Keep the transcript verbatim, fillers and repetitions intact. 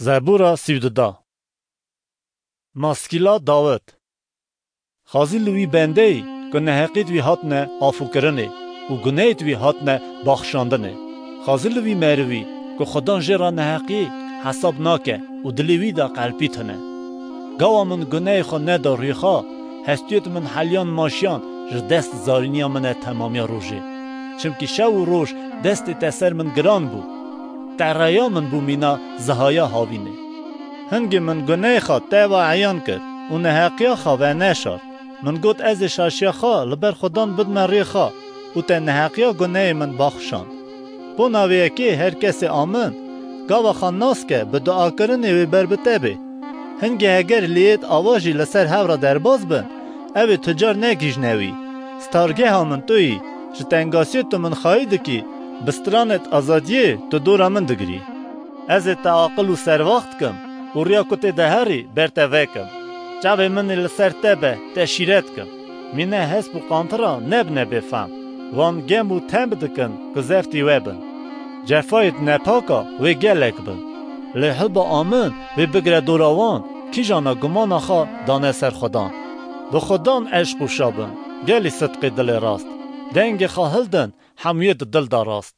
Zebûra sî û du. Maskîla Dawid. Xazî li wî bendeyî ku neheqît wî hatine afûkirinê û guneyt wî hatine baxşandinê. Xazî li wî merivî ku Xudan jê re neheqî hesab nake û dilê wî de qelpî tune. Gawa min guneyê xwe neda rûyê xwe, hestiyêt min heliyan maşiyan ji dest zarîniya min e temamiya rojê. Çimkî şev û roj destê te ser min giran bû. Te reya min bû mîna zihaya havînê. Hingê min guneyê xwe te ve eyan kir û neheqiya xwe veneşart. Min got, ez ê şaşiya xwe li ber Xudan bidime rê xwe û te neheqiya guneyê min baxşand. Bona vê yekê her kesê a min, gava xwe nas ke, bi duakirinê wê ber bi te bê. Hingê heger lêyêt ava jî li ser hev re derbas bin, ew ê tu car negihîjne wî. Stargeha min tu yî, ji tengasiyê tu min xayî dikî, bi stranêt azadiyê tu dora min digirî. Ez ê te aqil û serwaxt kim û riya ku tê de herî ber te vekim. Çavê min ê li ser te be, te şîret kim. Mîne hesp û qantira nebine bêfehm. Wan gem û temb dikin ku zeftî we bin. Cefayêt nepaka wê gelek bin. Lê hilba a min wê bigire dora wan, kîjana gumana xwe dane ser Xudan. Bi Xudan eşq û şa bin, gelî sidqê dilê rast. Dengê xwe hildin, hemûyê di dil de rast.